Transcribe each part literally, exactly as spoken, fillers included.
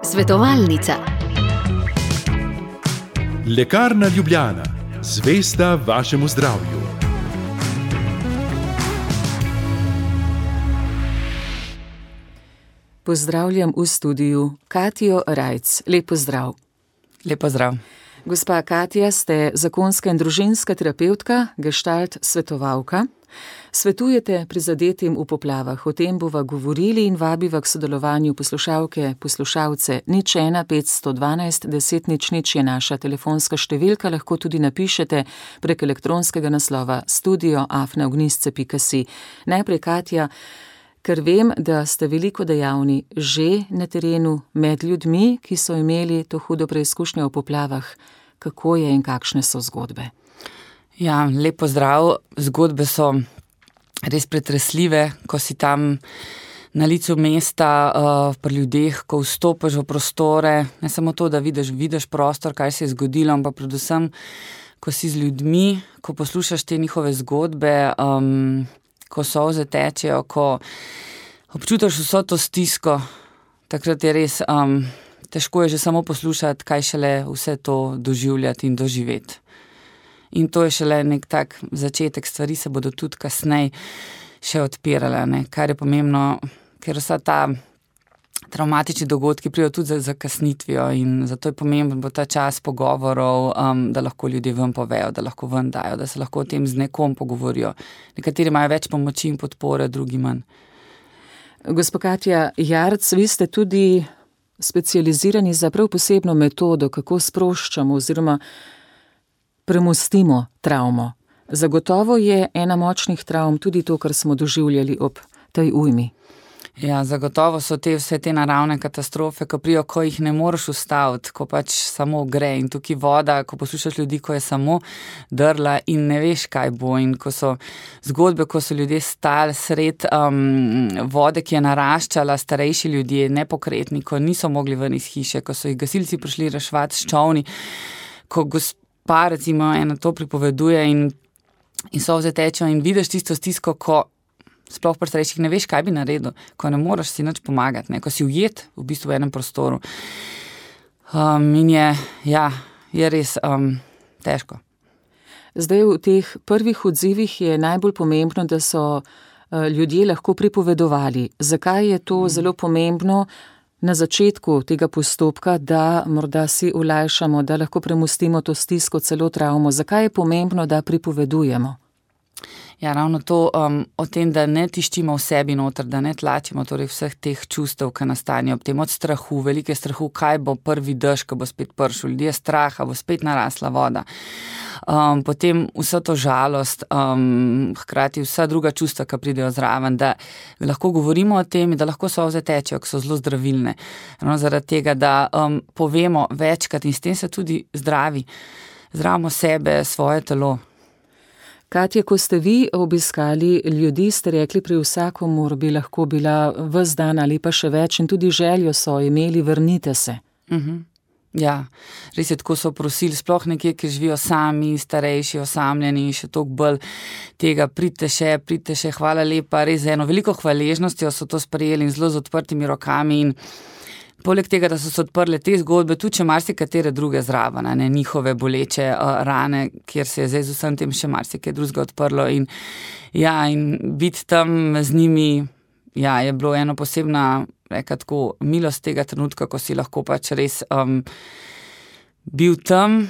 Svetovalnica. Lekarna Ljubljana, zvesta vašemu zdravju. Pozdravljam v studiu Katijo Rajc. Lep pozdrav. Lep pozdrav. Gospa Katja, ste zakonska in družinska terapevtka, gestalt svetovalka. Svetujete prizadetim v poplavah. O tem bova govorili in vabiva k sodelovanju poslušalke, poslušalce. Nič ena petsto dvanajst deset nič nič je naša telefonska številka, lahko tudi napišete prek elektronskega naslova studio afna ognjisce pika si. Najprej, Katja, ker vem, da ste veliko dejavni že na terenu med ljudmi, ki so imeli to hudo preizkušnjo v poplavah. Kako je in kakšne so zgodbe? Ja, lep pozdrav. Zgodbe so res pretresljive, ko si tam na licu mesta uh, pri ljudeh, ko vstopiš v prostore, ne samo to, da vidiš, vidiš prostor, kaj se je zgodilo, ampak predvsem, ko si z ljudmi, ko poslušaš te njihove zgodbe, um, ko solze tečejo, ko občutiš vso to stisko, takrat je res um, težko je že samo poslušati, kaj šele vse to doživljati in doživeti. In to je šele nek tak začetek, stvari se bodo tudi kasneje še odpirale, ne? Kar je pomembno, ker vsa ta travmatični dogodki pridejo tudi za zakasnitvijo in zato je pomemben bo ta čas pogovorov, um, da lahko ljudje ven povejo, da lahko ven dajo, da se lahko o tem z nekom pogovorijo. Nekateri imajo več pomoči in podpore, drugi manj. Gospa Katja Jarc, vi ste tudi specializirani za prav posebno metodo, kako sproščamo oziroma premostimo travmo. Zagotovo je ena močnih travm tudi to, kar smo doživljali ob tej ujmi. Ja, zagotovo so te vse te naravne katastrofe, ko prijo, ko jih ne moreš ustaviti, ko pač samo gre in tukaj voda, ko poslušaš ljudi, ko je samo drla in ne veš, kaj bo in ko so zgodbe, ko so ljudje stali sred um, vode, ki je naraščala, starejši ljudje, nepokretni, ko niso mogli ven iz hiše, ko so jih gasilci prišli reševati s čolni, ko gospod pa recimo eno to pripoveduje in, in solze tečejo in vidiš tisto stisko, ko sploh pri starejših ne veš, kaj bi naredil, ko ne moreš si nič pomagati, ne? Ko si ujet v bistvu v enem prostoru. Um, in je, ja, je res um, težko. Zdaj v teh prvih odzivih je najbolj pomembno, da so uh, ljudje lahko pripovedovali. Zakaj je to mm. zelo pomembno na začetku tega postopka, da morda si olajšamo, da lahko premostimo to stisko, celo travmo? Zakaj je pomembno, da pripovedujemo? Ja, ravno to um, o tem, da ne tiščimo v sebi noter, da ne tlačimo torej vseh teh čustev, ki nastanejo ob tem, od strahu, velike strahu, kaj bo prvi dež, ko bo spet pršel, ljudje straha, bo spet narasla voda. Um, potem vsa to žalost, um, hkrati vsa druga čustva, ki pridejo zraven, da lahko govorimo o tem, da lahko solze tečejo, ki so zelo zdravilne. Ravno zaradi tega, da um, povemo večkrat in s tem se tudi zdravi, zdravimo sebe, svoje telo. Katja, ko ste vi obiskali ljudi, ste rekli, pri vsakomur bi lahko bila ves dan ali pa še več in tudi željo so imeli, vrnite se. Uh-huh. Ja, res je, tako so prosili, sploh nekje, ki živijo sami, starejši, osamljeni, še toliko bolj tega, pridite še, pridite še, hvala lepa, res eno veliko hvaležnostjo so to sprejeli in zelo z odprtimi rokami in poleg tega, da so se odprle te zgodbe, tudi če marsikatere druge zraven, ne, njihove boleče uh, rane, kjer se je zdaj z vsem tem še marsikaj drugega odprlo in ja, in biti tam z njimi, ja, je bilo eno posebna, reka tako, milost tega trenutka, ko si lahko pač res um, bil tam.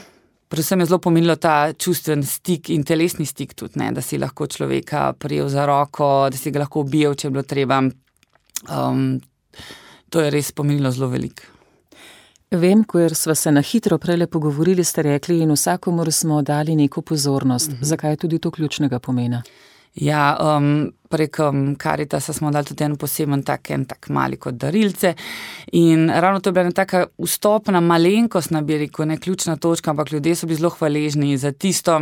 Predvsem je zelo pomenilo ta čustven stik in telesni stik tudi, ne, da si lahko človeka prijel za roko, da si ga lahko objel, če je bilo treba. Um, To je res pomenilo zelo veliko. Vem, ker sva se na hitro prele pogovorili, ste rekli in vsakomur smo dali neko pozornost. Mm-hmm. Zakaj je tudi to ključnega pomena? Ja, um, prek um, Karitasa smo dali tudi en poseben tak, en tak mali kot darilce in ravno to je bila ena taka vstopna malenkost, bi rekel, ne ključna točka, ampak ljudje so bili zelo hvaležni za tisto,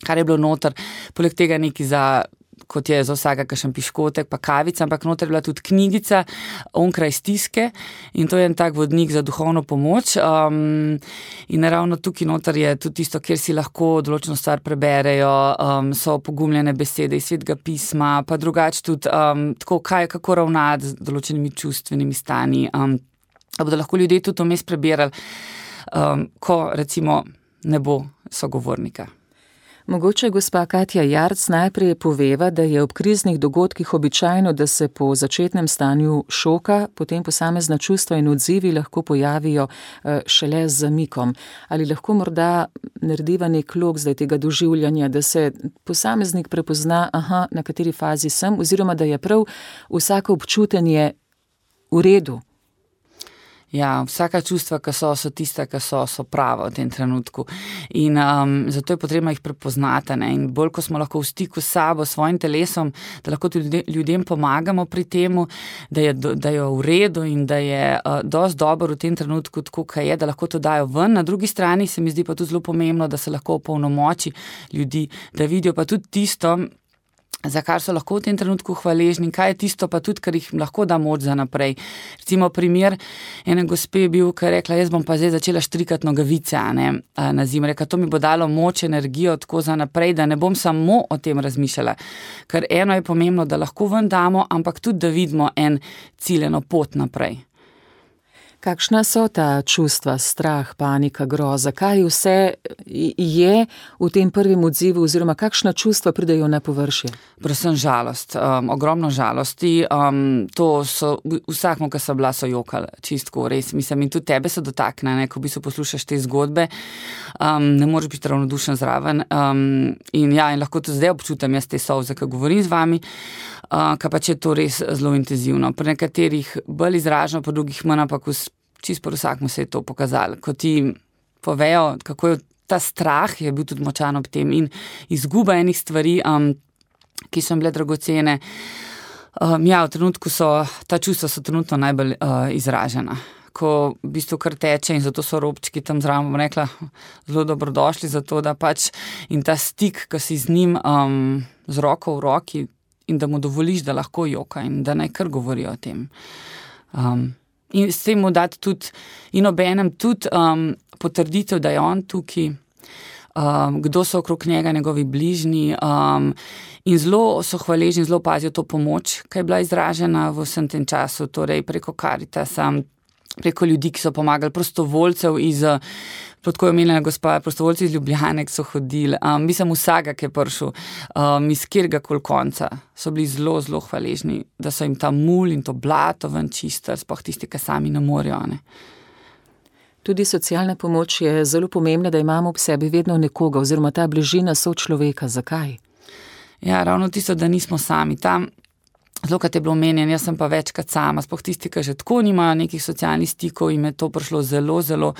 kar je bilo noter, poleg tega neki za kot je za vsega kakšen piškotek, pa kavica, ampak noter je bila tudi knjigica Onkraj stiske in to je en tak vodnik za duhovno pomoč. Um, in ravno tukaj noter je tudi tisto, kjer si lahko določeno stvar preberejo, um, so pogumljene besede iz Svetega pisma, pa drugače tudi um, tako, kaj, kako ravnati z določenimi čustvenimi stanji. Um, da bodo lahko ljudje tudi vmes prebirali, um, ko recimo ne bo sogovornika. Mogoče gospa Katja Jarc najprej poveva, da je ob kriznih dogodkih običajno, da se po začetnem stanju šoka potem posamezna čustva in odzivi lahko pojavijo šele z zamikom. Ali lahko morda narediva nek lok zdaj tega doživljanja, da se posameznik prepozna, aha, na kateri fazi sem, oziroma da je prav vsako občutenje v redu? Ja, vsaka čustva, ki so, so tista, ki so, so prava v tem trenutku. In um, zato je potrebno jih prepoznati. Ne? In bolj, ko smo lahko v stiku s sabo, s svojim telesom, da lahko tudi ljudem pomagamo pri temu, da je, da je v redu in da je uh, dosti dobro v tem trenutku, tako kaj je, da lahko to dajo ven. Na drugi strani se mi zdi pa tudi zelo pomembno, da se lahko opolnomoči ljudi, da vidijo pa tudi tisto, za kar so lahko v tem trenutku hvaležni, kaj je tisto pa tudi, kar jih lahko da moč za naprej. Recimo primer ene gospe je bil, ki je rekla, jaz bom pa zdaj začela štrikati nogavice, ne, na zimu. Reka, to mi bo dalo moč, energijo tako za naprej, da ne bom samo o tem razmišljala. Ker eno je pomembno, da lahko ven damo, ampak tudi, da vidimo en ciljeno pot naprej. Kakšna so ta čustva, strah, panika, groza? Kaj vse je v tem prvem odzivu oziroma kakšna čustva pridejo na površje? Predvsem žalost, um, ogromno žalosti. Um, to so, vsakmo, ki so bila, so jokali, čistko, res. Mislim, in tudi tebe se dotakne, ne, ko v bistvu poslušaš te zgodbe. Um, ne moreš biti ravnodušen zraven. Um, in ja, in lahko tudi zdaj občutam jaz te solze, ki govorim z vami, uh, kaj pa če je to res zelo intenzivno. Pri nekaterih bolj izraženo, pri drugih manj, ampak čisto po vsakmu se je to pokazalo. Ko ti povejo, kako je ta strah, je bil tudi močan ob tem in izguba enih stvari, um, ki so bile dragocene. Um, ja, v trenutku so, ta čustva so trenutno najbolj uh, izražena. Ko v bistvu kar teče in zato so robčki tam zraven, bom rekla, zelo dobrodošli za to, da pač in ta stik, ki si z njim um, z roko v roki in da mu dovoliš, da lahko joka in da naj kar govori o tem. Um, In s tem mu dati tudi, in obenem tudi um, potrditev, da je on tukaj, um, kdo so okrog njega, njegovi bližnji, um, in zelo so hvaležni, zelo pazijo to pomoč, ki je bila izražena v vsem tem času, torej preko Karitasa, preko ljudi, ki so pomagali, prostovoljcev iz, tako je omenjena gospa, prostovoljci iz Ljubljane, ki so hodili, um, mislim vsega, ki je prišel, um, iz kjerkoli konca, so bili zelo, zelo hvaležni, da so jim ta mul in to blato ven čistili, sploh tisti, ki sami ne morejo. Ne. Tudi socialna pomoč je zelo pomembna, da imamo ob sebi vedno nekoga, oziroma ta bližina sočloveka. Zakaj? Ja, ravno tisto, da nismo sami tam. Zelo, kot je bilo omenjeno, jaz sem pa večkrat sama, sploh tisti, ki že tako nimajo nekih socialnih stikov, jim je to prišlo zelo, zelo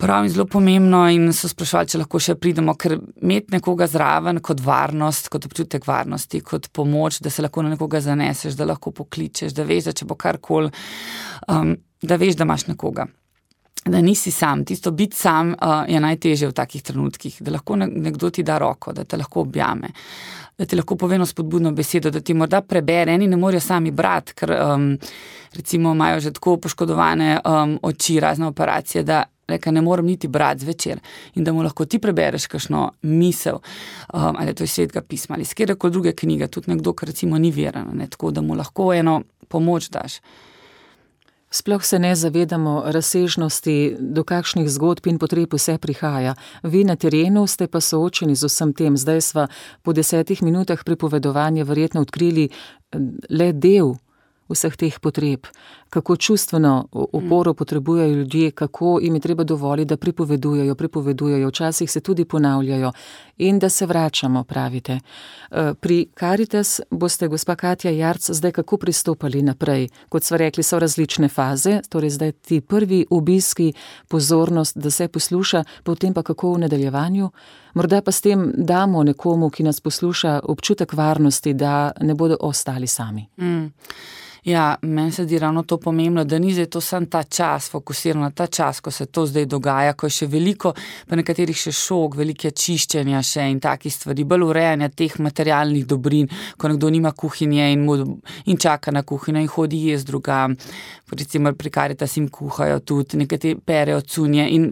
prav in zelo pomembno in so sprašvali, če lahko še pridemo, ker imeti nekoga zraven kot varnost, kot občutek varnosti, kot pomoč, da se lahko na nekoga zaneseš, da lahko pokličeš, da veš, da če bo karkoli, um, da veš, da imaš nekoga. Da nisi sam. Tisto biti sam uh, je najtežje v takih trenutkih, da lahko nekdo ti da roko, da te lahko objame, da ti lahko pove eno spodbudno besedo, da ti morda prebere, eni ne morejo sami brati, ker um, recimo imajo že tako poškodovane um, oči, razne operacije, da reka, ne morem niti brati zvečer in da mu lahko ti prebereš kakšno misel, um, ali to iz Svetega pisma, ali skjerkoli druge knjige, tudi nekdo, ki recimo ni veren, ne, tako da mu lahko eno pomoč daš. Sploh se ne zavedamo razsežnosti, do kakšnih zgodb in potreb vse prihaja. Vi na terenu ste pa soočeni z vsem tem. Zdaj sva po desetih minutah pripovedovanja verjetno odkrili le del vseh teh potreb. Kako čustveno oporo potrebujejo ljudje, kako jim je treba dovoliti, da pripovedujejo, pripovedujejo, včasih se tudi ponavljajo in da se vračamo, pravite. Pri Karitas boste, gospa Katja Jarc, zdaj kako pristopali naprej? Kot sva rekli, so različne faze, torej zdaj ti prvi obiski, pozornost, da se posluša, potem pa kako v nadaljevanju? Morda pa s tem damo nekomu, ki nas posluša, občutek varnosti, da ne bodo ostali sami. Mm. Ja, meni se di ravno to pomembno, da ni zdaj to sam ta čas, fokusiran na ta čas, ko se to zdaj dogaja, ko je še veliko, pa nekaterih še šok, velike čiščenja še in takih stvari, bolj urejanja teh materialnih dobrin, ko nekdo nima kuhinje in, mu, in čaka na kuhinjo in hodi jesti drugam, recimo pri Karitas jim kuhajo tudi, nekateri perejo cunje in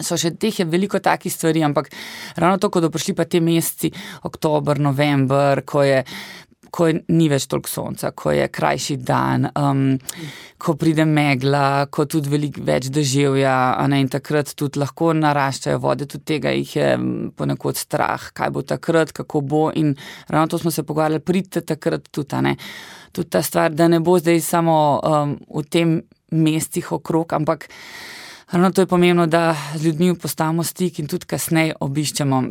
so še teh je veliko takih stvari, ampak ravno to, ko do prišli pa te meseci, oktober, november, ko je ko ni več toliko sonca, ko je krajši dan, um, ko pride megla, ko tudi veliko več deževja, a ne, in takrat tudi lahko naraščajo vode, tudi tega jih je ponekod strah, kaj bo takrat, kako bo in ravno to smo se pogovarjali, pridite takrat tudi, a ne, tudi ta stvar, da ne bo zdaj samo um, v tem mestih okrog, ampak ravno to je pomembno, da z ljudmi postavimo stik in tudi kasneje obiščemo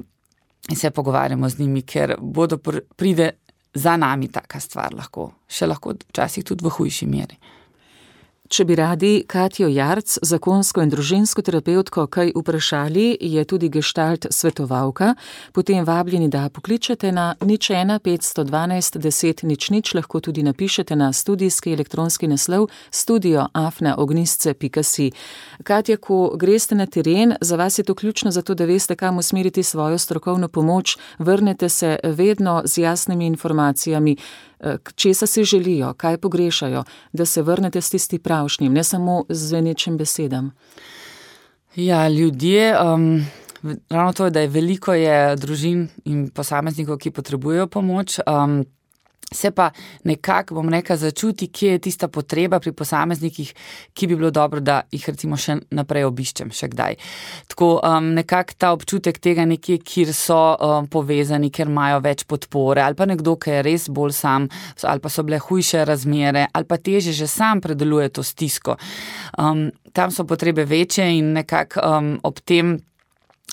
in se pogovarjamo z njimi, ker bodo pr- pride za nami taka stvar lahko, še lahko včasih tudi v hujši meri. Če bi radi Katjo Jarc, zakonsko in družinsko terapevtko, kaj vprašali, je tudi gestalt svetovalka, potem vabljeni, da pokličete na nič ena petsto dvanajst deset nič nič, lahko tudi napišete na studijski elektronski naslov studio afna ognjisce pika si. Katja, ko greste na teren, za vas je to ključno zato, da veste, kam usmeriti svojo strokovno pomoč, vrnete se vedno z jasnimi informacijami, česa si želijo, kaj pogrešajo, da se vrnete s tisti pravšnjim, ne samo z zvenečim besedam. Ja, ljudje, um, ravno to je, da je veliko je družin in posameznikov, ki potrebujejo pomoč, um, se pa nekako, bom rekla, začuti, kje je tista potreba pri posameznikih, ki bi bilo dobro, da jih recimo še naprej obiščem še kdaj. Tako um, nekako ta občutek tega nekje, kjer so um, povezani, ker imajo več podpore, ali pa nekdo, ki je res bolj sam, ali pa so bile hujše razmere, ali pa teže že sam predeluje to stisko. Um, tam so potrebe večje in nekako um, ob tem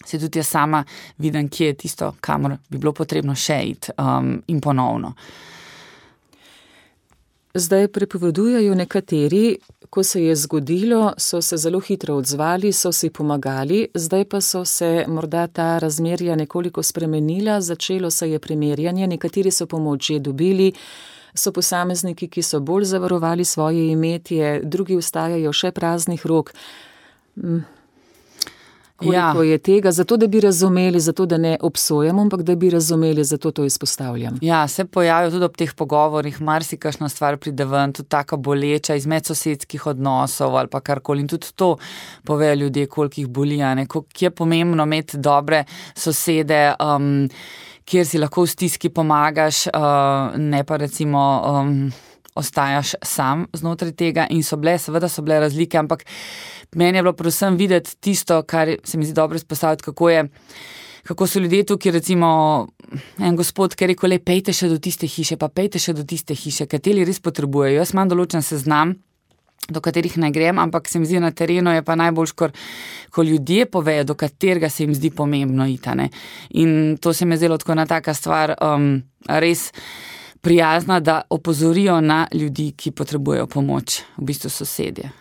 se tudi jaz sama vidim, kje je tisto, kamor bi bilo potrebno še iti um, in ponovno. Zdaj prepovedujejo nekateri, ko se je zgodilo, so se zelo hitro odzvali, so si pomagali, zdaj pa so se morda ta razmerja nekoliko spremenila, začelo se je primerjanje, nekateri so pomoč že dobili, so posamezniki, ki so bolj zavarovali svoje imetje, drugi ostajajo še praznih rok. Koliko ja. je tega, zato da bi razumeli, zato da ne obsojamo, ampak da bi razumeli, zato to izpostavljam. Ja, se pojavijo tudi ob teh pogovorih, marsikakšna stvar pride ven, tudi taka boleča iz medsosedskih odnosov ali pa karkoli in tudi to povejo ljudje, koliko jih boli, ne, koliko je pomembno imeti dobre sosede, um, kjer si lahko v stiski pomagaš, uh, ne pa recimo um, ostajaš sam znotraj tega in so bile, seveda so bile razlike, ampak meni je bilo predvsem videti tisto, kar se mi zdi dobro izpostaviti, kako je, kako so ljudje tukaj, recimo en gospod, ki je rekel, le pejte še do tiste hiše, pa pejte še do tiste hiše, kateri res potrebujejo. Jaz imam določen seznam, do katerih ne grem, ampak se mi zdi na terenu je pa najbolj, ko, ko ljudje povejo, do katerega se jim zdi pomembno iti, ne. In to se mi je zdelo tako ena taka stvar, um, res prijazna, da opozorijo na ljudi, ki potrebujejo pomoč, v bistvu sosedje.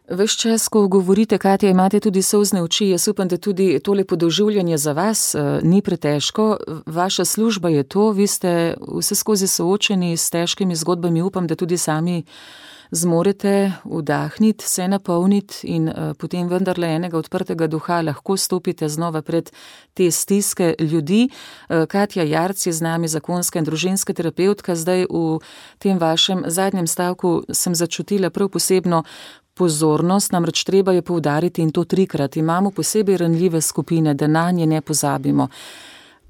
Ves čas, ko govorite, Katja, imate tudi solzne oči, jaz upam, da tudi tole podoživljanje za vas uh, ni pretežko. Vaša služba je to, vi ste vse skozi soočeni s težkimi zgodbami, upam, da tudi sami zmorete vdahniti, se napolniti in uh, potem vendarle enega odprtega duha lahko stopite znova pred te stiske ljudi. Uh, Katja Jarc je z nami, zakonska in družinska terapevtka. Zdaj v tem vašem zadnjem stavku sem začutila prav posebno pozornost, namreč treba je poudariti in to trikrat. Imamo posebej ranljive skupine, da na nje ne pozabimo.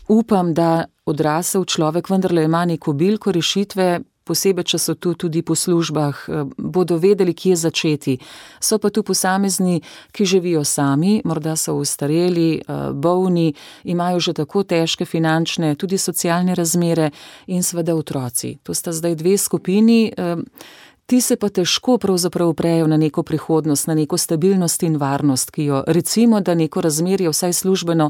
Upam, da odrasel človek vendarle ima neko bilko rešitve, posebej, če so tu tudi po službah, bodo vedeli, kje začeti. So pa tu posamezni, ki živijo sami, morda so ostareli, bolni, imajo že tako težke finančne, tudi socialne razmere in seveda otroci. To sta zdaj dve skupini, Ti se pa težko pravzaprav uprejo na neko prihodnost, na neko stabilnost in varnost, ki jo recimo, da neko razmerje vsaj službeno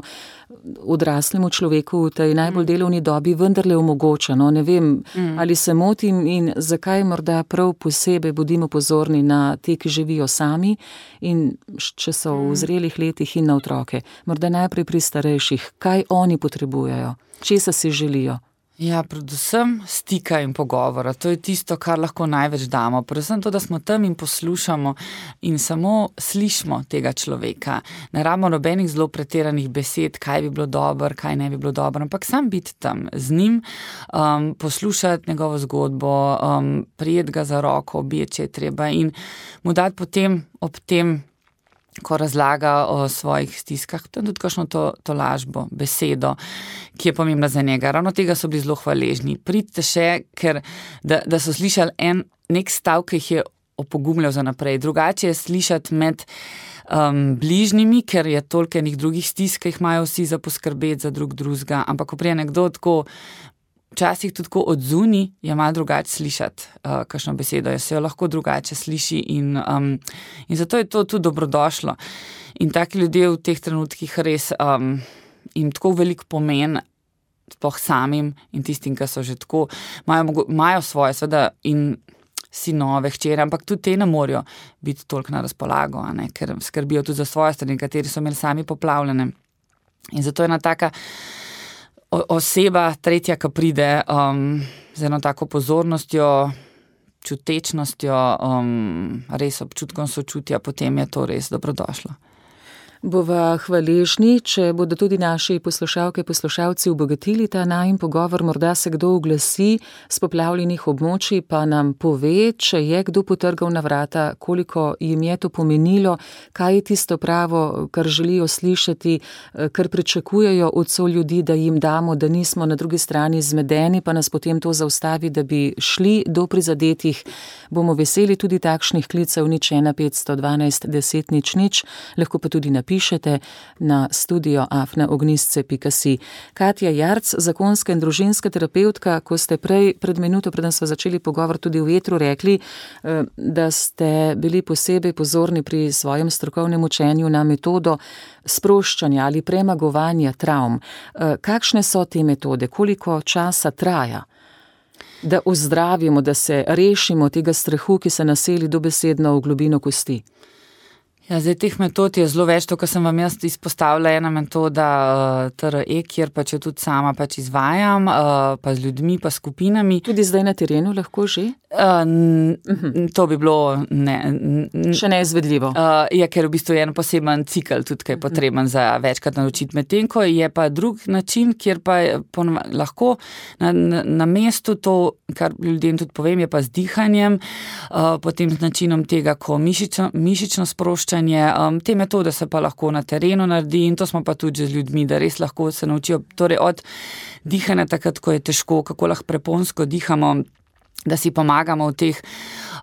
odraslemu človeku v tej najbolj delovni dobi vendarle omogoča. No, ne vem, mm. ali se motim in zakaj morda prav posebej bodimo pozorni na te, ki živijo sami in če so v zrelih letih in na otroke. Morda najprej pri starejših, kaj oni potrebujejo, česa si želijo. Ja, predvsem stika in pogovora. To je tisto, kar lahko največ damo. Predvsem to, da smo tam in poslušamo in samo slišimo tega človeka. Ne rabimo nobenih zelo pretiranih besed, kaj bi bilo dobro, kaj ne bi bilo dobro, ampak sam biti tam z njim, um, poslušati njegovo zgodbo, um, prijeti ga za roko, obječi, če je treba in mu dati potem ob tem, ko razlaga o svojih stiskah, tudi kakšno to, to lažbo, besedo, ki je pomembna za njega. Ravno tega so bili zelo hvaležni. Pridite še, ker da, da so slišali en, nek stav, ki jih je opogumljal za naprej. Drugače je slišati med um, bližnjimi, ker je toliko enih drugih stisk, ki jih imajo vsi za poskrbeti za drug drugega, ampak ko prije nekdo tako včasih tudi tako od zunaj je malo drugače slišati uh, kakšno besedo, je se jo lahko drugače sliši in, um, in zato je to tudi dobrodošlo. In taki ljudje v teh trenutkih res um, jim tako velik pomen sploh samim in tistim, ki so že tako, imajo, imajo svoje seveda in sinove, hčere, ampak tudi te ne morajo biti toliko na razpolago, a ne, ker skrbijo tudi za svoje strani, kateri so imeli sami poplavljene. In zato je ena taka oseba, tretja, ki pride um, z eno tako pozornostjo, čutečnostjo, um, res občutkom sočutja, potem je to res dobrodošlo. Bova hvaležni, če bodo tudi naši poslušalke, poslušalci obogatili ta najin pogovor, morda se kdo oglasi z poplavljenih območij, pa nam pove, če je kdo potrgal na vrata, koliko jim je to pomenilo, kaj je tisto pravo, kar želijo slišati, kar pričakujejo od soljudi, da jim damo, da nismo na drugi strani zmedeni, pa nas potem to zaustavi, da bi šli do prizadetih. Bomo veseli tudi takšnih klicev nič ena petsto dvanajst deset nič nič, lahko pa tudi na pišete na studio afna ognistce pika si. Katja Jarc, zakonska in družinska terapeutka, ko ste prej pred minuto, preden smo začeli pogovor tudi v etru, rekli, da ste bili posebej pozorni pri svojem strokovnem učenju na metodo sproščanja ali premagovanja travm. Kakšne so te metode? Koliko časa traja, da ozdravimo, da se rešimo tega strahu, ki se naseli dobesedno v globino kosti? Ja, zdaj teh metod je zelo več, to, kar sem vam jaz izpostavila, ena metoda uh, T R E, kjer pač jo tudi sama pač izvajam, uh, pa z ljudmi, pa skupinami. Tudi zdaj na terenu lahko že? Uh, n, uh-huh. To bi bilo ne, n, še neizvedljivo. Uh, je, ker v bistvu je en poseben cikl tudi, ki je potreben uh-huh. za večkrat naučiti. Medtem ko je pa drug način, kjer pa ponova, lahko na, na, na mestu to, kar ljudem tudi povem, je pa z dihanjem, uh, potem z načinom tega, ko mišično, mišično sproščanje. Um, te metode se pa lahko na terenu naredi in to smo pa tudi z ljudmi, da res lahko se naučijo, torej od dihanja takrat, ko je težko, kako lahko preponsko dihamo, da si pomagamo v teh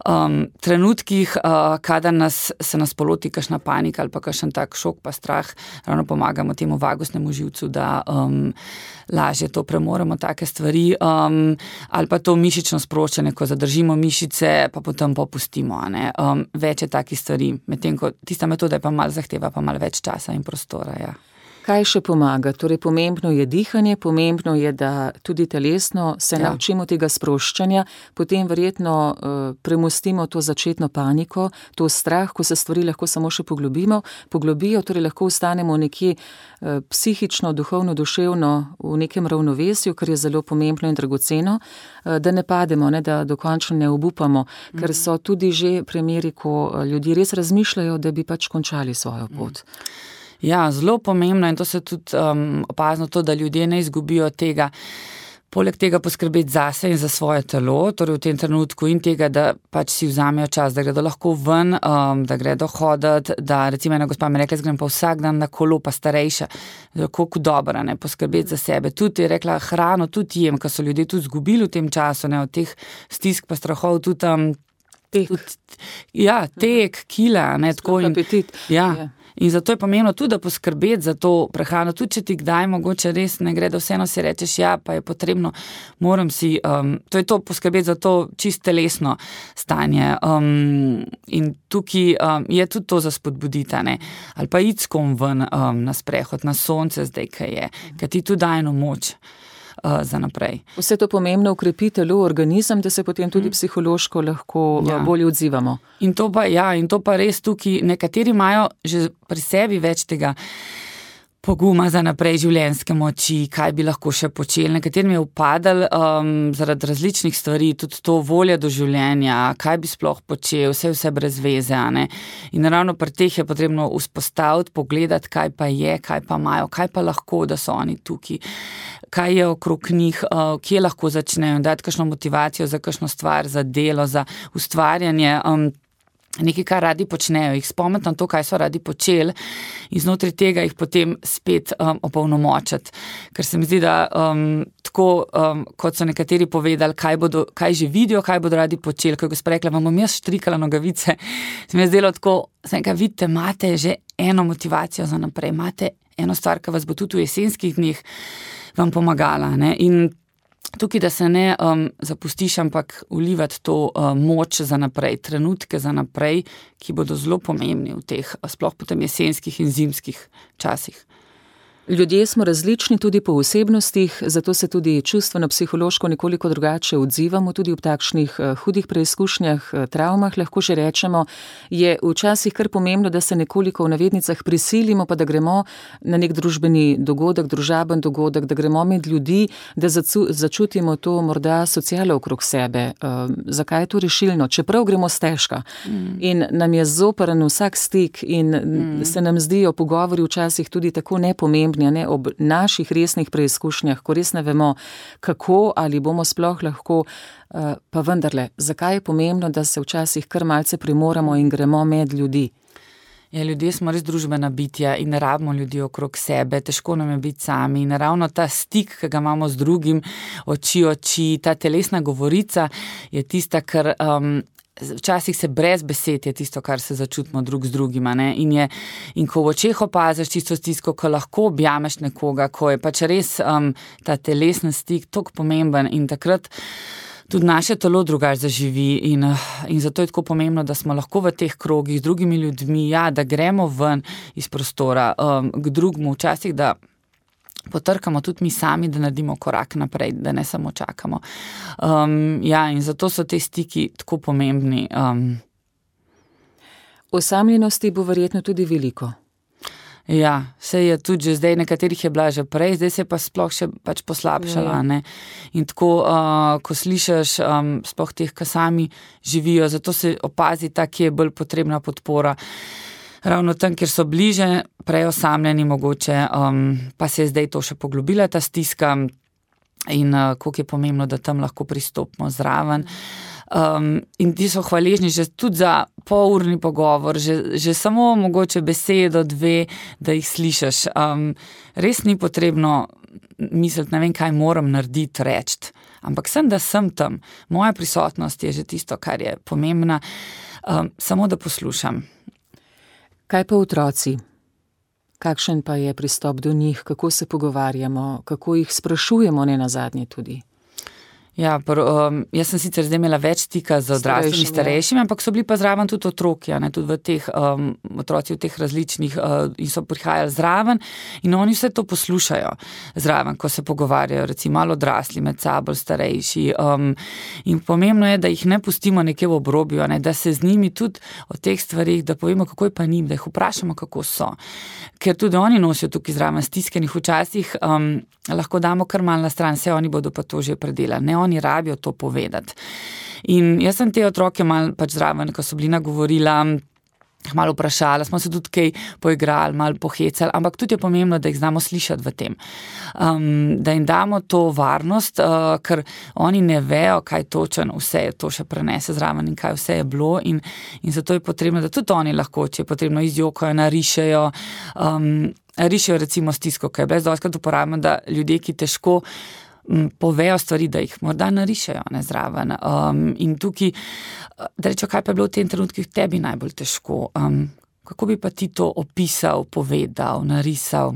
um, trenutkih, uh, kadar nas, se nas poloti kakšna panika ali pa kakšen tak šok pa strah, ravno pomagamo temu vagusnemu živcu, da um, lažje to premoremo, take stvari, um, ali pa to mišično sproščanje, ko zadržimo mišice, pa potem popustimo. Ne? Um, več je takih stvari, medtem ko tista metoda je pa malo zahteva, pa malo več časa in prostora, ja. Kaj še pomaga? Torej, pomembno je dihanje, pomembno je, da tudi telesno se ja. naučimo tega sproščanja, potem verjetno uh, premostimo to začetno paniko, to strah, ko se stvari lahko samo še poglobimo, poglobijo, torej lahko ostanemo nekje uh, psihično, duhovno, duševno v nekem ravnovesju, kar je zelo pomembno in dragoceno, uh, da ne pademo, ne, da dokončno ne obupamo, mm. ker so tudi že primeri, ko ljudje res razmišljajo, da bi pač končali svojo pot. Mm. Ja, zelo pomembno in to se tudi um, opazno to, da ljudje ne izgubijo tega, poleg tega poskrbeti zase in za svoje telo, torej v tem trenutku in tega, da pač si vzamejo čas, da gredo lahko ven, um, da gredo hoditi, da recimo ena gospa mi rekla, grem pa vsak dan na kolo, pa starejša, koliko dobra, ne, poskrbeti za sebe. Tudi je rekla, hrano tudi jem, ker so ljudje tudi zgubili v tem času, ne, od teh stisk pa strahov tudi um, tek. Tudi, ja, tek, kila, ne, tako in apetit. Ja. Ja. In zato je pomembno tudi, da poskrbeti za to prehrano, tudi če ti kdaj mogoče res ne gre, da vseeno si rečeš, ja, pa je potrebno, moram si, um, to je to poskrbeti za to čist telesno stanje. Um, in tukaj um, je tudi to za spodbuditi, ne? Ali pa iti s kom ven um, na sprehod, na sonce zdaj, kaj je, ker ti tudi daje eno moč. Za naprej. Vse to pomembno ukrepi telo, organizem, da se potem tudi psihološko lahko ja. bolje odzivamo. In to pa, ja, in to pa res tukaj, nekateri imajo že pri sebi več tega poguma za naprej, življenjske moči, kaj bi lahko še počeli. Nekaterim je upadal um, zaradi različnih stvari, tudi to volja do življenja, kaj bi sploh počel, vse vse brez veze. Ne? In ravno pri teh je potrebno vzpostaviti, pogledati, kaj pa je, kaj pa imajo, kaj pa lahko, da so oni tukaj, kaj je okrog njih, uh, kje lahko začnejo, dati kakšno motivacijo za kakšno stvar, za delo, za ustvarjanje, um, nekaj, kar radi počnejo, jih spomniti na to, kaj so radi počeli in znotraj tega jih potem spet um, opolnomočiti. Ker se mi zdi, da um, tako, um, kot so nekateri povedali, kaj, bodo, kaj že vidijo, kaj bodo radi počeli, ko je gospa rekla, vam bom jaz štrikala nogavice, se mi je zdelo tako, sem kaj vidite, imate že eno motivacijo za naprej, imate eno stvar, ki vas bo tudi v jesenskih dneh vam pomagala. Ne? In tukaj, da se ne um, zapustiš, ampak vlivati to um, moč za naprej, trenutke za naprej, ki bodo zelo pomembni v teh, sploh potem jesenskih in zimskih časih. Ljudje smo različni tudi po osebnostih, zato se tudi čustveno-psihološko nekoliko drugače odzivamo, tudi ob takšnih uh, hudih preizkušnjah, uh, travmah, lahko že rečemo, je včasih kar pomembno, da se nekoliko v navednicah prisilimo, pa da gremo na nek družbeni dogodek, družaben dogodek, da gremo med ljudi, da zacu, začutimo to morda socialo okrog sebe. Uh, zakaj je to rešilno? Čeprav gremo stežka mm. in nam je zoprn vsak stik in mm. se nam zdijo pogovori včasih tudi tako nepomembni, ne, ob naših resnih preizkušnjah, ko res ne vemo, kako ali bomo sploh lahko, pa vendarle, zakaj je pomembno, da se včasih kar malce primoramo in gremo med ljudi? Ja, ljudje smo res družbena bitja in ne rabimo ljudi okrog sebe, težko nam je biti sami in ravno ta stik, ki ga imamo z drugim, oči oči, ta telesna govorica je tista, kar um, včasih se brez besed je tisto, kar se začutimo drug z drugima. Ne? In, je, in ko v očeh opaziš tisto stisko, ko lahko objameš nekoga, ko je pač res um, ta telesni stik toliko pomemben in takrat tudi naše telo drugače zaživi in, in zato je tako pomembno, da smo lahko v teh krogih z drugimi ljudmi, ja, da gremo ven iz prostora um, k drugmu, včasih, da potrkamo tudi mi sami, da naredimo korak naprej, da ne samo čakamo. Um, ja, in zato so te stiki tako pomembni. Um. Osamljenosti bo verjetno tudi veliko. Ja, se je tudi že zdaj, nekaterih je bila že prej, zdaj se je pa sploh še pač poslabšala. Ne? In tako, uh, ko slišiš um, sploh teh, ki sami živijo, zato se opazi ta, ki je bolj potrebna podpora. Ravno tam, kjer so bliže, prej osamljeni mogoče, um, pa se je zdaj to še poglobila, ta stiska in uh, koliko je pomembno, da tam lahko pristopimo zraven. Um, in ti so hvaležni že tudi za polurni pogovor, že, že samo mogoče besedo, dve, da jih slišiš. Um, res ni potrebno misliti, ne vem, kaj moram narediti, reči, ampak sem, da sem tam. Moja prisotnost je že tisto, kar je pomembna, um, samo da poslušam. Kaj pa otroci? Kakšen pa je pristop do njih, kako se pogovarjamo, kako jih sprašujemo, ne nazadnje tudi? Ja, pr, um, jaz sem sicer zdaj imela več stika z odraslimi starejšimi, ampak so bili pa zraven tudi otroki, ne, tudi v teh, um, otroci v teh različnih uh, in so prihajali zraven in oni vse to poslušajo zraven, ko se pogovarjajo, recimo malo odrasli med sabo, starejši. Um, in pomembno je, da jih ne pustimo nekje v obrobju, ne, da se z njimi tudi o teh stvarih, da povemo, kako je pa njim, da jih vprašamo, kako so. Ker tudi oni nosijo tukaj zraven stiskenih včasih, um, lahko damo kar malo na stran, vse oni bodo pa to že predelali. Ne, oni rabijo to povedati. In jaz sem te otroke malo pač zraven, ko so bili nagovorila, malo vprašala, smo se tudi kaj poigrali, malo pohecali, ampak tudi je pomembno, da jih znamo slišati v tem. Um, da jim damo to varnost, uh, ker oni ne vejo, kaj točen vse je to še prenese zraven in kaj vse je bilo in, in zato je potrebno, da tudi oni lahko, če je potrebno, izjokajo, narišejo, um, rišejo recimo stisko, kaj je brez dostakrat uporabljamo, da ljudje, ki težko m, povejo stvari, da jih morda narišejo ne, zraven. Um, in tukaj, da rečo, kaj pa je bilo v tem trenutku tebi najbolj težko, um, kako bi pa ti to opisal, povedal, narisal.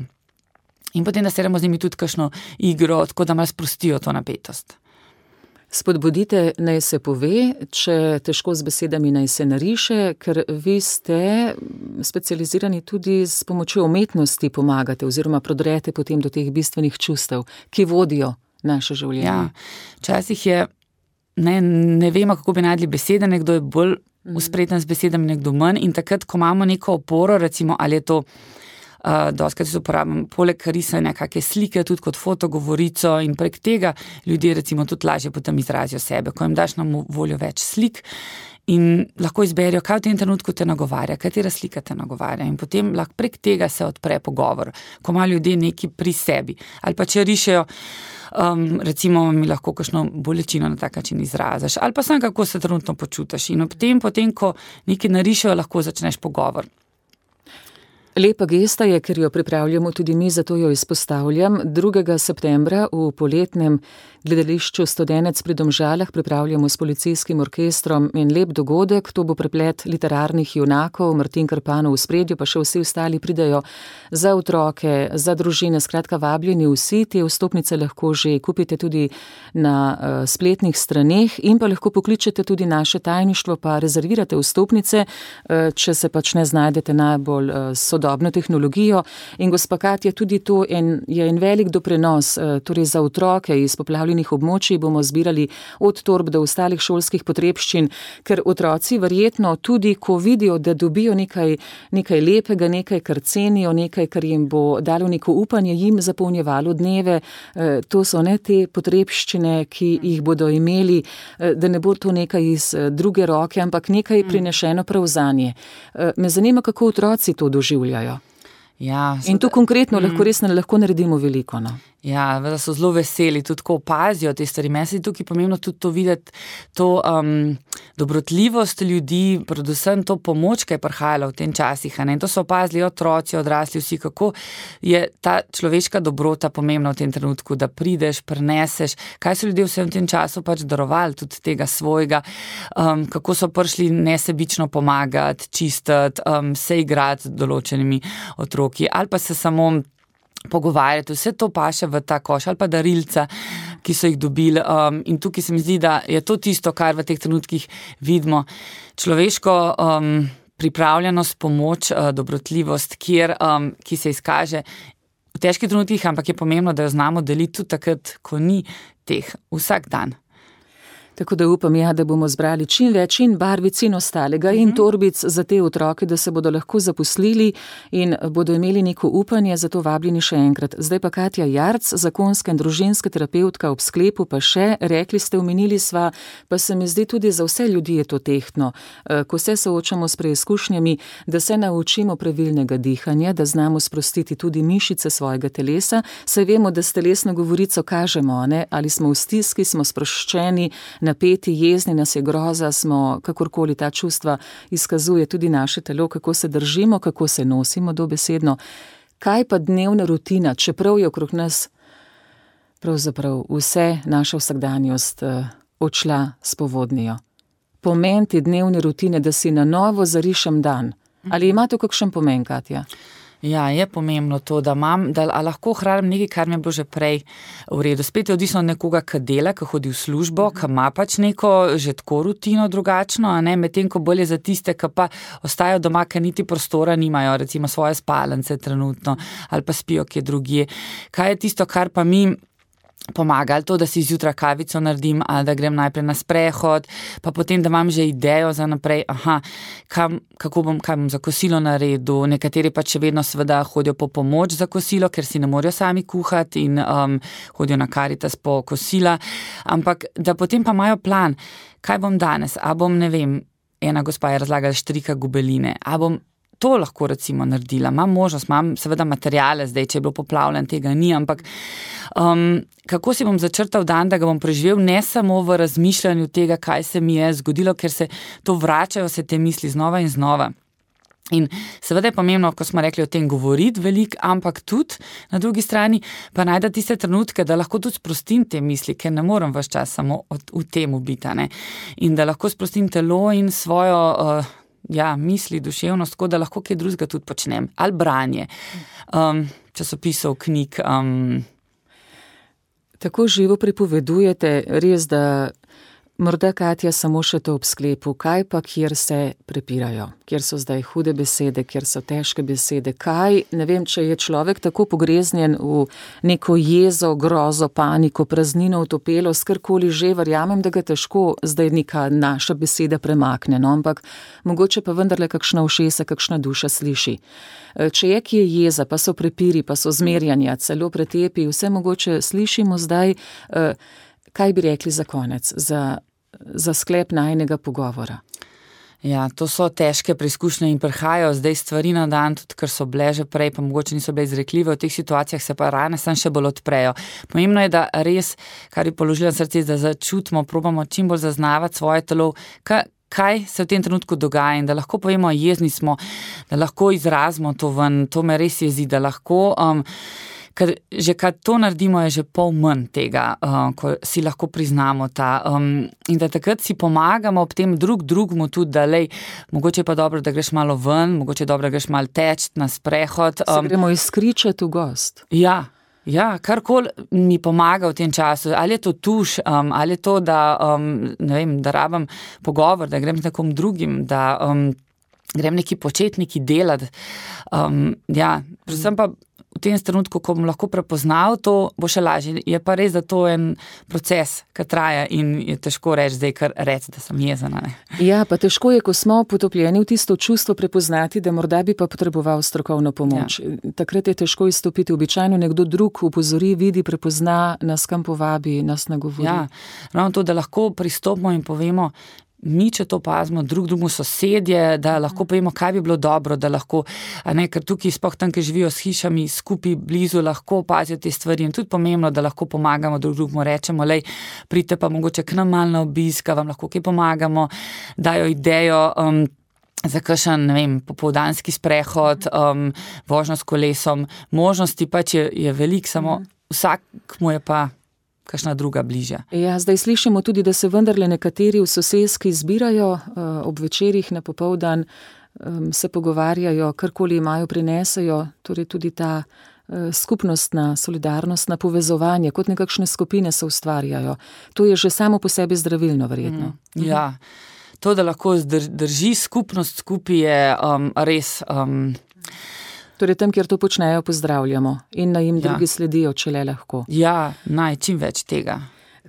In potem, da seremo z njimi tudi kakšno igro, tako da malo sprostijo to napetost. Spodbudite, naj se pove, če težko z besedami naj se nariše, ker vi ste specializirani tudi s pomočjo umetnosti pomagate oziroma prodrete potem do teh bistvenih čustev, ki vodijo naše življenje. Ja, včasih je, ne, ne vemo, kako bi najdli besede, nekdo je bolj uspreten z besedami, nekdo manj in takrat, ko imamo neko oporo, recimo, ali je to Uh, doskrat se uporabljam poleg risanja kakšne slike, tudi kot fotogovorico in prek tega ljudje recimo tudi lažje potem izrazijo sebe, ko jim daš na voljo več slik in lahko izberijo, kaj v tem trenutku te nagovarja, katera slika te nagovarja in potem lahko prek tega se odpre pogovor, ko ima ljudje neki pri sebi ali pa če rišejo, um, recimo mi lahko kakšno bolečino na tak način izraziš ali pa sam kako se trenutno počutiš in ob tem, potem ko nekaj narišejo, lahko začneš pogovor. Lepa gesta je, ker jo pripravljamo tudi mi, zato jo izpostavljam. drugega septembra v poletnem gledališču Studenec pri Domžalah pripravljamo s policijskim orkestrom en lep dogodek. To bo preplet literarnih junakov, Martin Krpanov v spredju, pa še vsi ostali pridejo za otroke, za družine, skratka vabljeni vsi. Te vstopnice lahko že kupite tudi na uh, spletnih straneh in pa lahko pokličete tudi naše tajništvo, pa rezervirate vstopnice, uh, če se pač ne znajdete najbolj uh, sodobno tehnologijo. In gospa Katja, tudi to en, je en velik doprinos, uh, torej za otroke iz poplavljenih območij bomo zbirali od torb do ostalih šolskih potrebščin, ker otroci verjetno tudi, ko vidijo, da dobijo nekaj, nekaj lepega, nekaj, kar cenijo, nekaj, kar jim bo dalo neko upanje, jim zapolnjevalo dneve, uh, to so ne te potrebščine, ki jih bodo imeli, uh, da ne bo to nekaj iz uh, druge roke, ampak nekaj prinešeno prav zanje. Uh, me zanima, kako otroci to doživljajo. Ja, in tu konkretno lahko res ne lahko naredimo veliko, no. Ja, da so zelo veseli, tudi ko opazijo te stvari. Meni se je tukaj pomembno tudi to videti, to um, dobrotljivost ljudi, predvsem to pomoč, ki je prihajala v tem časih. Ne? In to so opazili otroci, odrasli, vsi, kako je ta človeška dobrota pomembna v tem trenutku, da prideš, preneseš, kaj so ljudje vsem v tem času pač darovali, tudi tega svojega, um, kako so prišli nesebično pomagati, čistiti, um, se igrati z določenimi otroki ali pa se samo pogovarjati, vse to paše v ta koš ali pa darilca, ki so jih dobili um, in tukaj se mi zdi, da je to tisto, kar v teh trenutkih vidimo. Človeško um, pripravljenost, pomoč, uh, dobrotljivost, kjer, um, ki se izkaže v težkih trenutkih, ampak je pomembno, da jo znamo deliti tudi takrat, ko ni teh vsak dan. Tako da upam, ja, da bomo zbrali čim več in barvic in ostalega in torbic za te otroke, da se bodo lahko zaposlili in bodo imeli neko upanje, zato vabljeni še enkrat. Zdaj pa Katja Jarc, zakonska in družinska terapevtka, ob sklepu pa še, rekli ste, omenili sva, pa se mi zdi tudi za vse ljudi je to tehtno, ko se soočamo s preizkušnjami, da se naučimo pravilnega dihanja, da znamo sprostiti tudi mišice svojega telesa, saj vemo, da s telesno govorico kažemo, ne? Ali smo v stiski, smo sproščeni, napeti, jezni, nas je groza, smo, kakorkoli ta čustva izkazuje tudi naše telo, kako se držimo, kako se nosimo dobesedno. Kaj pa dnevna rutina, čeprav je okrog nas pravzaprav vse naša vsakdanjost uh, odšla s povodnijo? Pomen te dnevne rutine, da si na novo zarišem dan. Ali ima to kakšen pomen, Katja? Ja, je pomembno to, da imam, da lahko hranim nekaj, kar mi je bilo že prej v redu. Spet je odvisno od nekoga, ki dela, ki hodi v službo, ki ima pač neko že tako rutino drugačno, a ne, medtem ko bolje za tiste, ki pa ostajajo doma, ki niti prostora nimajo, recimo svoje spalnice trenutno, ali pa spijo kje drugje. Kaj je tisto, kar pa mi pomaga, ali to, da si zjutraj kavico naredim, ali da grem najprej na sprehod, pa potem, da imam že idejo za naprej, aha, kam, kako bom, kaj bom za kosilo naredil. Nekateri pa še vedno seveda hodijo po pomoč za kosilo, ker si ne morejo sami kuhati in um, hodijo na Karitas po kosila, ampak da potem pa imajo plan, kaj bom danes, a bom, ne vem, ena gospa je razlagala štrika gobeline, a bom to lahko recimo naredila, imam možnost, imam seveda materijale zdaj, če je bilo poplavljen, tega ni, ampak um, kako si bom začrtal dan, da ga bom preživel, ne samo v razmišljanju tega, kaj se mi je zgodilo, ker se to vračajo se te misli znova in znova. In seveda je pomembno, ko smo rekli o tem govoriti veliko, ampak tudi na drugi strani pa najda tiste trenutke, da lahko tudi sprostim te misli, ker ne morem ves čas samo od, v tem biti, ne? In da lahko sprostim telo in svojo uh, ja, misli, duševnost, tako da lahko kaj drugega tudi počnem. Ali branje, um, časopisov, knjig. Um. Tako živo pripovedujete, res, da morda, Katja, samo še to ob sklepu, kaj pa, kjer se prepirajo, kjer so zdaj hude besede, kjer so težke besede, kaj, ne vem, če je človek tako pogreznjen v neko jezo, grozo, paniko, praznino, utopelost, karkoli že, verjamem, da ga težko zdaj neka naša beseda premakne, no, ampak mogoče pa vendarle kakšna ušesa, kakšna duša sliši. Če je kje jeza, pa so prepiri, pa so zmerjanja, celo pretepi, vse mogoče slišimo zdaj, kaj bi rekli za konec, za za sklep najinega pogovora. Ja, to so težke preizkušnje in prihajajo zdaj stvari na dan, tudi ker so bile že prej, pa mogoče niso bile izrekljive, v teh situacijah se pa rane sam še bolj odprejo. Pomembno je, da res, kar je položila srce, da začutimo, probamo čim bolj zaznavati svoje telo, kaj, kaj se v tem trenutku dogaja in da lahko povemo, jezni smo, da lahko izrazimo to ven, to me res jezi, da lahko... Um, Ker že kad to naredimo, je že pol manj tega, uh, ko si lahko priznamo ta. Um, in da takrat si pomagamo ob tem drug drugmu tudi, da lej, mogoče je pa dobro, da greš malo ven, mogoče je dobro, da greš malo teč na sprehod. Um, se gremo izkričati v gost. Ja, ja, karkoli mi pomaga v tem času. Ali je to tuš, um, ali je to, da, um, ne vem, da rabim pogovor, da grem z nekom drugim, da um, grem neki početi, neki delati. Um, ja, predvsem pa v tem trenutku, ko bom lahko prepoznal to, bo še lažje. Je pa res, da to je en proces, ki traja in je težko reči zdaj, kar reči, da sem jezena. Ne? Ja, pa težko je, ko smo potopljeni v tisto čustvo prepoznati, da morda bi pa potreboval strokovno pomoč. Ja. Takrat je težko izstopiti. Običajno nekdo drug upozori, vidi, prepozna, nas kam povabi, nas nagovori. Ja, ravno to, da lahko pristopimo in povemo, mi, če to pazimo, drug drugu sosedje, da lahko povemo, kaj bi bilo dobro, da lahko, a ne, ker tukaj sploh tam, ki živijo s hišami, skupaj blizu, lahko opazijo te stvari in tudi pomembno, da lahko pomagamo drug drugu, rečemo, lej, pridite pa mogoče k nam malo na obisk, vam lahko kaj pomagamo, dajo idejo, um, za kakšen, ne vem, popoldanski sprehod, um, vožnjo s kolesom, možnosti pač je, je veliko, samo vsak mu je pa kakšna druga bližja. Ja, zdaj slišimo tudi, da se vendarle nekateri v soseski zbirajo ob večerih na popoldan, se pogovarjajo, karkoli imajo, prinesejo, torej tudi ta skupnostna, solidarnostna povezovanje, kot nekakšne skupine se ustvarjajo. To je že samo po sebi zdravilno, verjetno. Mm, ja, to, da lahko drži skupnost skupaj, je um, res... Um, Torej tam, kjer to počnejo, pozdravljamo in naj jim ja. drugi sledijo, če le lahko. Ja, naj čim več tega.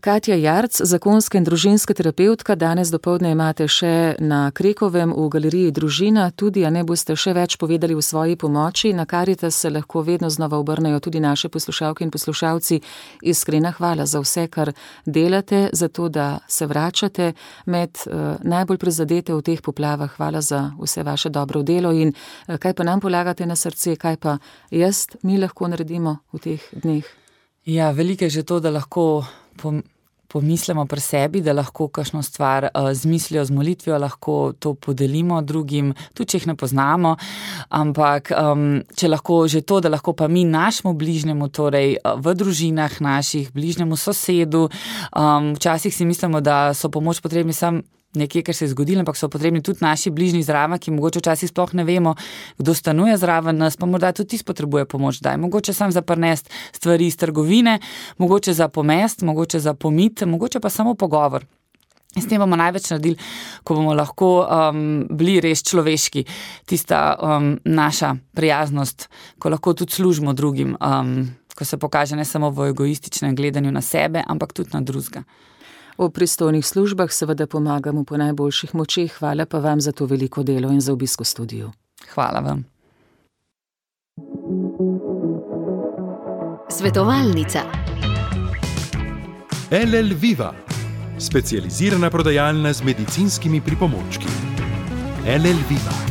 Katja Jarc, zakonska in družinska terapevtka, danes dopoldne imate še na Krekovem v galeriji Družina, tudi, a ne boste še več povedali v svoji pomoči, na Karitas se lahko vedno znova obrnejo tudi naše poslušalke in poslušalci. Iskrena hvala za vse, kar delate, za to, da se vračate med uh, najbolj prizadete v teh poplavah. Hvala za vse vaše dobro delo in uh, kaj pa nam polagate na srce, kaj pa jaz, mi lahko naredimo v teh dneh. Ja, veliko je že to, da lahko pomislimo pri sebi, da lahko kakšno stvar uh, z mislijo, z molitvijo lahko to podelimo drugim, tudi če jih ne poznamo, ampak um, če lahko že to, da lahko pa mi našemu bližnjemu, torej v družinah naših, bližnjemu sosedu, um, včasih si mislimo, da so pomoč potrebni sam nekje, kar se je zgodilo, ampak so potrebni tudi naši bližnji zraven, ki mogoče včasih sploh ne vemo, kdo stanuje zraven nas, pa morda tudi tisti potrebuje pomoč, daj, mogoče sam za prinesti stvari iz trgovine, mogoče za pomest, mogoče za pomit, mogoče pa samo pogovor. In s tem bomo največ naredili, ko bomo lahko um, bili res človeški, tista um, naša prijaznost, ko lahko tudi služimo drugim, um, ko se pokaže ne samo v egoističnem gledanju na sebe, ampak tudi na drugega. V pristojnih službah seveda pomagamo po najboljših močeh. Hvala pa vam za to veliko delo in za obisk v studiu. Hvala vam. Svetovalnica. L L Viva, specializirana prodajalna z medicinskimi pripomočki. L L Viva.